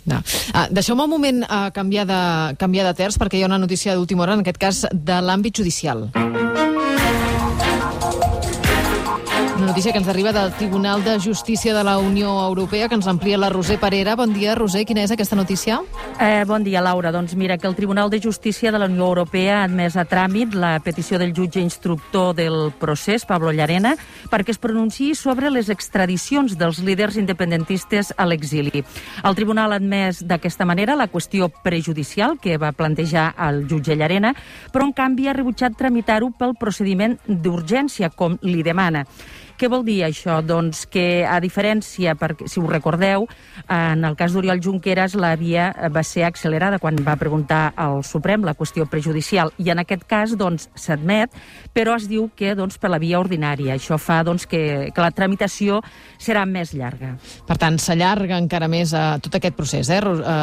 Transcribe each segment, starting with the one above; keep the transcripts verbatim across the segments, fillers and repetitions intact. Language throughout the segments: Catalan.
No. Ah, deixeu-me un moment uh, canviar, de, canviar de terç, perquè hi ha una notícia d'última hora, en aquest cas de l'àmbit judicial. Una notícia que ens arriba del Tribunal de Justícia de la Unió Europea, que ens amplia la Roser Parera. Bon dia, Roser. Quina és aquesta notícia? Eh, bon dia, Laura. Doncs mira, que el Tribunal de Justícia de la Unió Europea ha admès a tràmit la petició del jutge instructor del procés, Pablo Llarena, perquè es pronunciï sobre les extradicions dels líders independentistes a l'exili. El Tribunal ha admès d'aquesta manera la qüestió prejudicial que va plantejar el jutge Llarena, però en canvi ha rebutjat tramitar-ho pel procediment d'urgència, com li demana. Què vol dir això? Doncs que, a diferència, perquè, si ho recordeu, en el cas d'Oriol Junqueras la via va ser accelerada quan va preguntar al Suprem la qüestió prejudicial, i en aquest cas doncs s'admet, però es diu que doncs, per la via ordinària. Això fa doncs, que, que la tramitació serà més llarga. Per tant, s'allarga encara més uh, tot aquest procés, eh,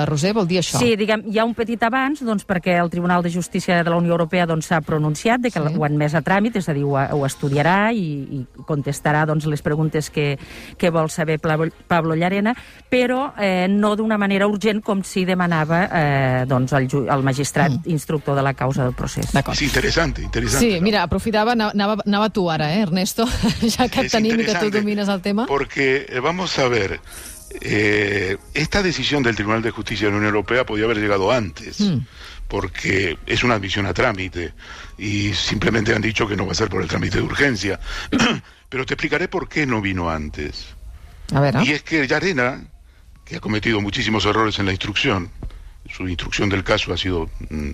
Roser? Vol dir això? Sí, diguem, hi ha un petit abans, doncs, perquè el Tribunal de Justícia de la Unió Europea s'ha doncs, pronunciat de que sí. Ho ha admès a tràmit, és a dir, ho, ho estudiarà i, i contestarà doncs, les preguntes que, que vol saber Pablo Llarena, però eh, no d'una manera urgent com si demanava eh, doncs, el, el magistrat mm. instructor de la causa del procés. És interessant, interessant. Sí, mira, aprofitava, anava, anava tu ara, eh, Ernesto, ja que et tenim i que tu domines el tema. Porque, vamos a ver, eh, esta decisión del Tribunal de Justicia de la Unión Europea podía haber llegado antes. Mm. Porque es una admisión a trámite y simplemente han dicho que no va a ser por el trámite de urgencia. Pero te explicaré por qué no vino antes. A ver, ¿eh? Y es que Llarena, que ha cometido muchísimos errores en la instrucción, su instrucción del caso ha sido mmm,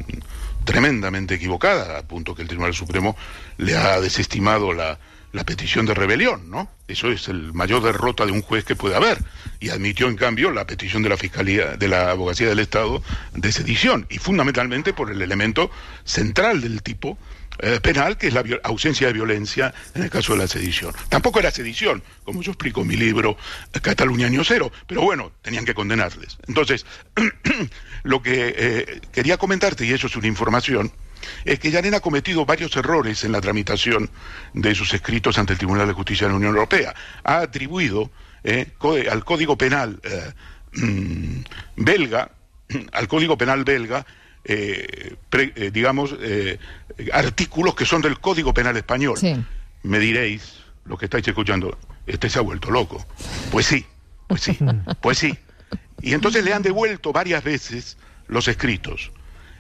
tremendamente equivocada, a punto que el Tribunal Supremo le ha desestimado la, la petición de rebelión, ¿no? Eso es el mayor derrota de un juez que puede haber. Y admitió, en cambio, la petición de la Fiscalía, de la Abogacía del Estado de sedición, y fundamentalmente por el elemento central del tipo eh, penal, que es la ausencia de violencia en el caso de la sedición. Tampoco era sedición, como yo explico en mi libro Cataluña Año Cero, pero bueno, tenían que condenarles. Entonces, lo que eh, quería comentarte, y eso es una información, es que Llarena ha cometido varios errores en la tramitación de sus escritos ante el Tribunal de Justicia de la Unión Europea. Ha atribuido eh, al Código Penal eh, mmm, belga, al Código Penal belga, eh, pre, eh, digamos, eh, artículos que son del Código Penal español. Sí. Me diréis, lo que estáis escuchando, este se ha vuelto loco. Pues sí, pues sí, pues sí. Y entonces le han devuelto varias veces los escritos.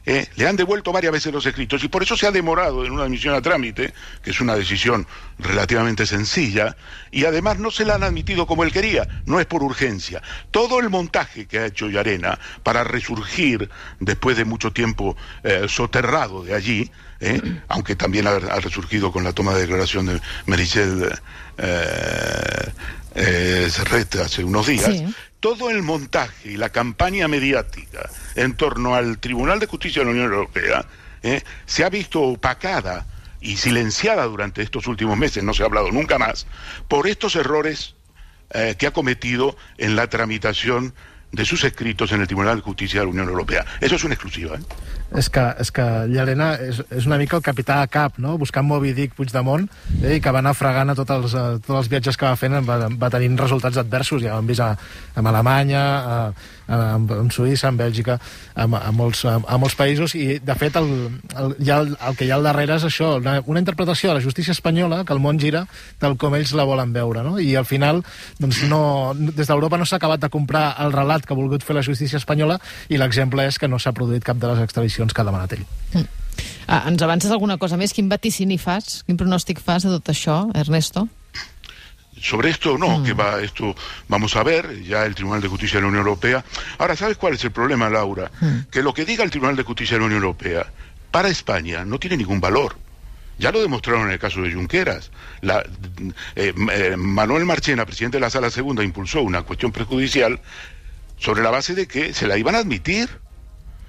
Eh, le han devuelto varias veces los escritos y por eso se ha demorado en una admisión a trámite, que es una decisión relativamente sencilla, y además no se la han admitido como él quería, no es por urgencia. Todo el montaje que ha hecho Llarena para resurgir después de mucho tiempo eh, soterrado de allí, eh, aunque también ha, ha resurgido con la toma de declaración de Meritxell eh, eh, Serret hace unos días, sí. Todo el montaje y la campaña mediática en torno al Tribunal de Justicia de la Unión Europea eh, se ha visto opacada y silenciada durante estos últimos meses, no se ha hablado nunca más, por estos errores eh, que ha cometido en la tramitación de sus escritos en el Tribunal de Justicia de la Unión Europea. Eso es una exclusiva, eh? És que, és que Llarena és, és una mica el capità a cap, no? Buscant Moby Dick Puigdemont, eh, que va anar fregant a tots els, a, tots els viatges que va fent, va, va tenint resultats adversos, ja ho hem vist a, a Alemanya, a, a, a Suïssa, en Bèlgica, a, a, molts, a, a molts països, i de fet el, el, ja el, el que hi ha al darrere és això, una, una interpretació de la justícia espanyola, que el món gira tal com ells la volen veure, no? I al final, doncs no, des d'Europa no s'ha acabat de comprar el relat que ha volgut fer la justícia espanyola, i l'exemple és que no s'ha produït cap de les extradicions que ha demanat ell. Mm. Ah, ens avances alguna cosa més? Quin vaticini fas? Quin pronòstic fas de tot això, Ernesto? Sobre esto no, mm. que va, esto vamos a ver, ya el Tribunal de Justicia de la Unión Europea. Ahora, ¿sabes cuál es el problema, Laura? Mm. Que lo que diga el Tribunal de Justicia de la Unión Europea para España no tiene ningún valor. Ya lo demostraron en el caso de Junqueras. La, eh, eh, Manuel Marchena, presidente de la Sala Segunda, impulsó una cuestión prejudicial sobre la base de que se la iban a admitir.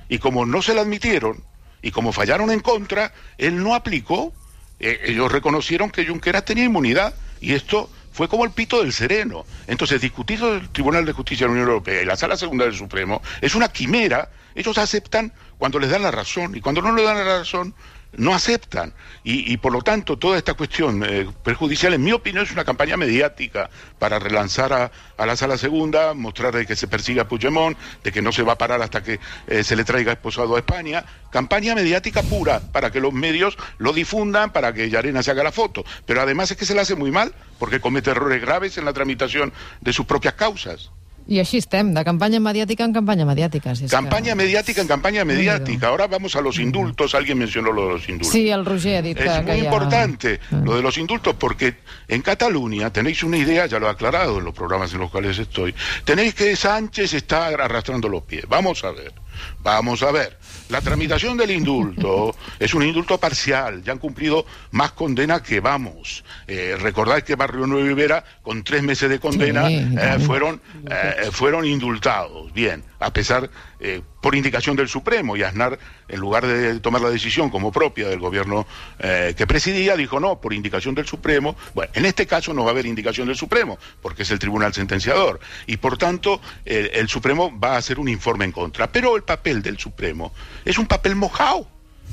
Y como no se la admitieron, y como fallaron en contra, él no aplicó. Eh, ellos reconocieron que Junqueras tenía inmunidad, y esto fue como el pito del sereno. Entonces, discutir el Tribunal de Justicia de la Unión Europea y la Sala Segunda del Supremo es una quimera. Ellos aceptan cuando les dan la razón, y cuando no les dan la razón, no aceptan. Y, y por lo tanto, toda esta cuestión eh, perjudicial, en mi opinión, es una campaña mediática para relanzar a, a la Sala Segunda, mostrar de que se persigue a Puigdemont, de que no se va a parar hasta que eh, se le traiga esposado a España. Campaña mediática pura, para que los medios lo difundan, para que Llarena se haga la foto. Pero además es que se le hace muy mal, porque comete errores graves en la tramitación de sus propias causas. I així estem, de campanya mediàtica en campanya mediàtica. Si campaña que... mediática en campaña mediática. Ahora vamos a los indultos. Alguien mencionó lo de los indultos. Sí, el Roger ha dit que... Es muy que importante ha... lo de los indultos, porque en Cataluña tenéis una idea, ya lo he aclarado en los programas en los cuales estoy, tenéis que Sánchez está arrastrando los pies. Vamos a ver, vamos a ver. La tramitación del indulto es un indulto parcial, ya han cumplido más condena que vamos. Eh, recordad que Barrio Nuevo y Vera, con tres meses de condena, sí, eh, fueron, eh, fueron indultados. Bien, a pesar, eh, por indicación del Supremo, y Aznar, en lugar de tomar la decisión como propia del gobierno eh, que presidía, dijo no, por indicación del Supremo. Bueno, en este caso no va a haber indicación del Supremo, porque es el tribunal sentenciador, y por tanto el, el Supremo va a hacer un informe en contra. Pero el papel del Supremo es un papel mojado,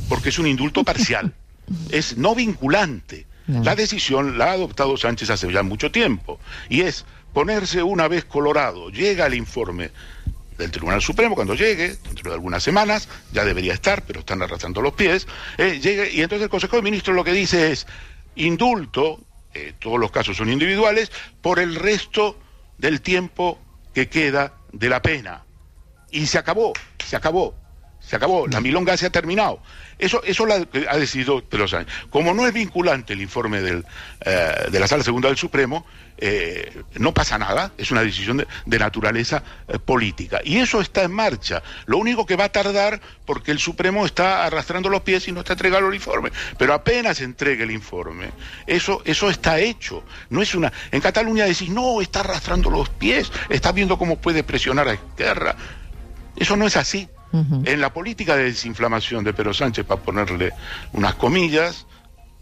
porque es un indulto parcial, es no vinculante. No. La decisión la ha adoptado Sánchez hace ya mucho tiempo, y es ponerse una vez colorado. Llega el informe del Tribunal Supremo, cuando llegue, dentro de algunas semanas, ya debería estar, pero están arrastrando los pies, eh, llegue, y entonces el Consejo de Ministros lo que dice es indulto, eh, todos los casos son individuales, por el resto del tiempo que queda de la pena. Y se acabó, se acabó. Se acabó, la milonga se ha terminado. Eso, eso lo ha decidido Pedro Sánchez. Como no es vinculante el informe del, eh, de la Sala Segunda del Supremo, eh, no pasa nada, es una decisión de, de naturaleza eh, política. Y eso está en marcha. Lo único que va a tardar, porque el Supremo está arrastrando los pies y no está entregando el informe. Pero apenas entregue el informe, eso, eso está hecho. No es una... En Cataluña decís, no, está arrastrando los pies, está viendo cómo puede presionar a Esquerra. Eso no es así. Uh-huh. En la política de desinflamación de Pedro Sánchez, para ponerle unas comillas,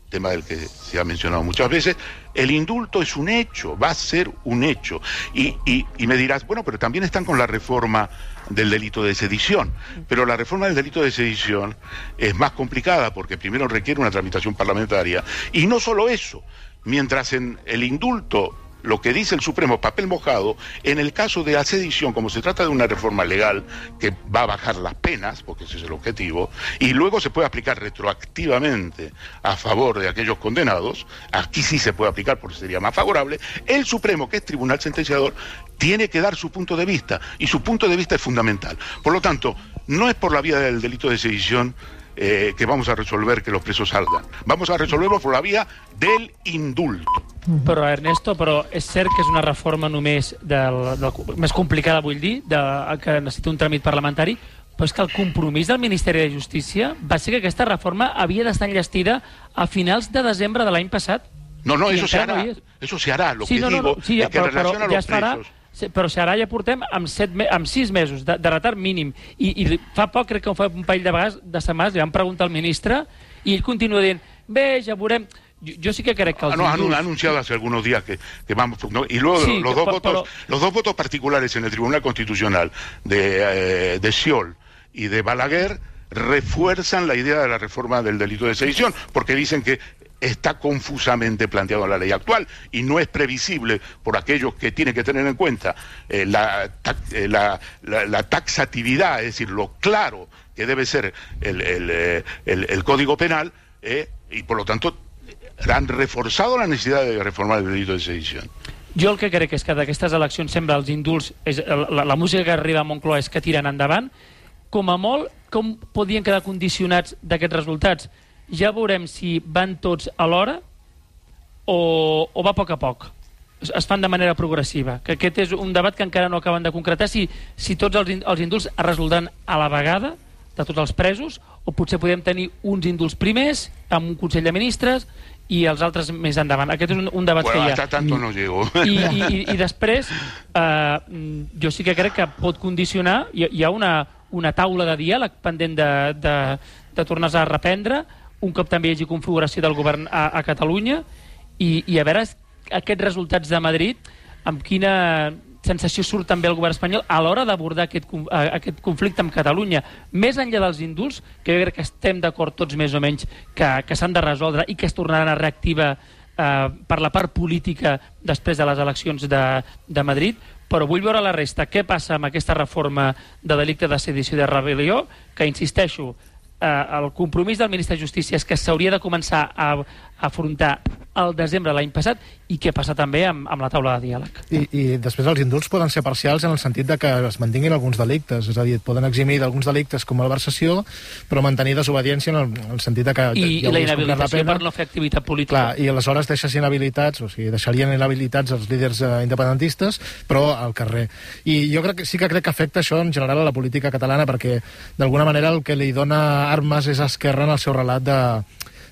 tema del que se ha mencionado muchas veces, el indulto es un hecho, va a ser un hecho. Y, y, y me dirás, bueno, pero también están con la reforma del delito de sedición. Pero la reforma del delito de sedición es más complicada, porque primero requiere una tramitación parlamentaria. Y no solo eso, mientras en el indulto lo que dice el Supremo, papel mojado, en el caso de la sedición, como se trata de una reforma legal que va a bajar las penas, porque ese es el objetivo, y luego se puede aplicar retroactivamente a favor de aquellos condenados, aquí sí se puede aplicar porque sería más favorable, el Supremo, que es tribunal sentenciador, tiene que dar su punto de vista, y su punto de vista es fundamental. Por lo tanto, no es por la vía del delito de sedición eh, que vamos a resolver que los presos salgan. Vamos a resolverlo por la vía del indulto. Però, Ernesto, però és cert que és una reforma només del, del, més complicada, vull dir, de, que necessita un tràmit parlamentari, però és que el compromís del Ministeri de Justícia va ser que aquesta reforma havia d'estar enllestida a finals de desembre de l'any passat. No, no, eso se hará, eso se hará. Lo sí, que no, no, digo no, sí, es que però, en relación però, a los ja es farà, presos... però si ara ja portem amb, set, amb sis mesos de, de retard mínim i, i fa poc, crec que fa un parell de vegades de setmanes, li vam preguntar al ministre i ell continua dient, bé, ja veurem. Yo, yo sí que creo que... Ah, no, han anunciado hace algunos días que, que vamos... ¿no? Y luego sí, los, dos pero, votos, pero... los dos votos particulares en el Tribunal Constitucional de, eh, de Sciol y de Balaguer refuerzan la idea de la reforma del delito de sedición, porque dicen que está confusamente planteado en la ley actual y no es previsible por aquellos que tienen que tener en cuenta eh, la, eh, la, la, la taxatividad, es decir, lo claro que debe ser el, el, el, el, el Código Penal, eh, y por lo tanto han reforçat la necessitat de reformar el delito de sedició. Jo el que crec és que d'aquestes eleccions sembla els indults, és, la, la música que arriba a Moncloa és que tiren endavant. Com a molt, com podien quedar condicionats d'aquests resultats? Ja veurem si van tots alhora o, o va a poc a poc. Es, es fan de manera progressiva. Que aquest és un debat que encara no acaben de concretar, si, si tots els, els indults es resoldran a la vegada de tots els presos, o potser podem tenir uns indults primers amb un Consell de Ministres i els altres més endavant. Aquest és un, un debat bueno, que hi ha. Hasta tanto no llego. I, i, i, i després, eh, jo sí que crec que pot condicionar, hi, hi ha una, una taula de diàleg pendent de, de, de tornar a reprendre, un cop també hi hagi configuració del govern a, a Catalunya, i, i a veure aquests resultats de Madrid, amb quina... sensació surt també el govern espanyol a l'hora d'abordar aquest, aquest conflicte amb Catalunya, més enllà dels indults, que jo crec que estem d'acord tots més o menys que, que s'han de resoldre i que es tornaran a reactivar eh, per la part política després de les eleccions de, de Madrid, però vull veure la resta. Què passa amb aquesta reforma de delicte de sedició i de rebel·lió, que, insisteixo, eh, el compromís del ministre de Justícia és que s'hauria de començar a, a afrontar al desembre de l'any passat, i què passa també amb, amb la taula de diàleg. I, I després els indults poden ser parcials en el sentit de que es mantinguin alguns delictes, és a dir, poden eximir d'alguns delictes com malversació, però mantenir desobediència en el, en el sentit de que... I, ja i la inhabilitació per no fer activitat política. Clar, i aleshores deixes inhabilitats, o sigui, deixarien inhabilitats els líders eh, independentistes, però al carrer. I jo crec que sí que crec que afecta això en general a la política catalana, perquè d'alguna manera el que li dona armes és a Esquerra en el seu relat de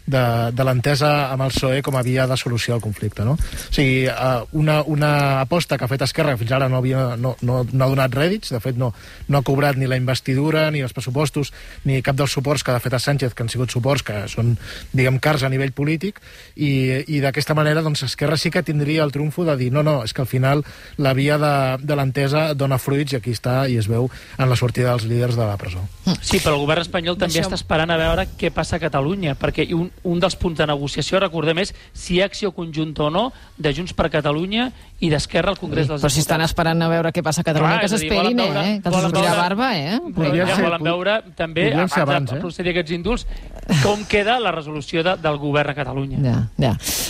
de, de l'entesa amb el P S O E com a via de solució al conflicte, no? O sigui, una, una aposta que ha fet Esquerra, que fins ara no, havia, no, no, no ha donat rèdits, de fet no, no ha cobrat ni la investidura, ni els pressupostos, ni cap dels suports que ha fet a Sánchez, que han sigut suports que són, diguem, cars a nivell polític, i, i d'aquesta manera, doncs, Esquerra sí que tindria el triomfo de dir, no, no, és que al final la via de, de l'entesa dona fruits, i aquí està, i es veu en la sortida dels líders de la presó. Sí, però el govern espanyol també Deixeu... està esperant a veure què passa a Catalunya, perquè un, un dels punts de negociació, recordem, és si hi ha acció conjunta o no de Junts per Catalunya i d'Esquerra al Congrés sí, dels Diputats. Però si estan esperant a veure què passa a Catalunya, Clar, que s'esperin, eh? Que els sortirà barba, eh? Però ja volen veure també, abans, abans de procedir aquests indults, com queda la resolució de, del govern a Catalunya. Ja, ja.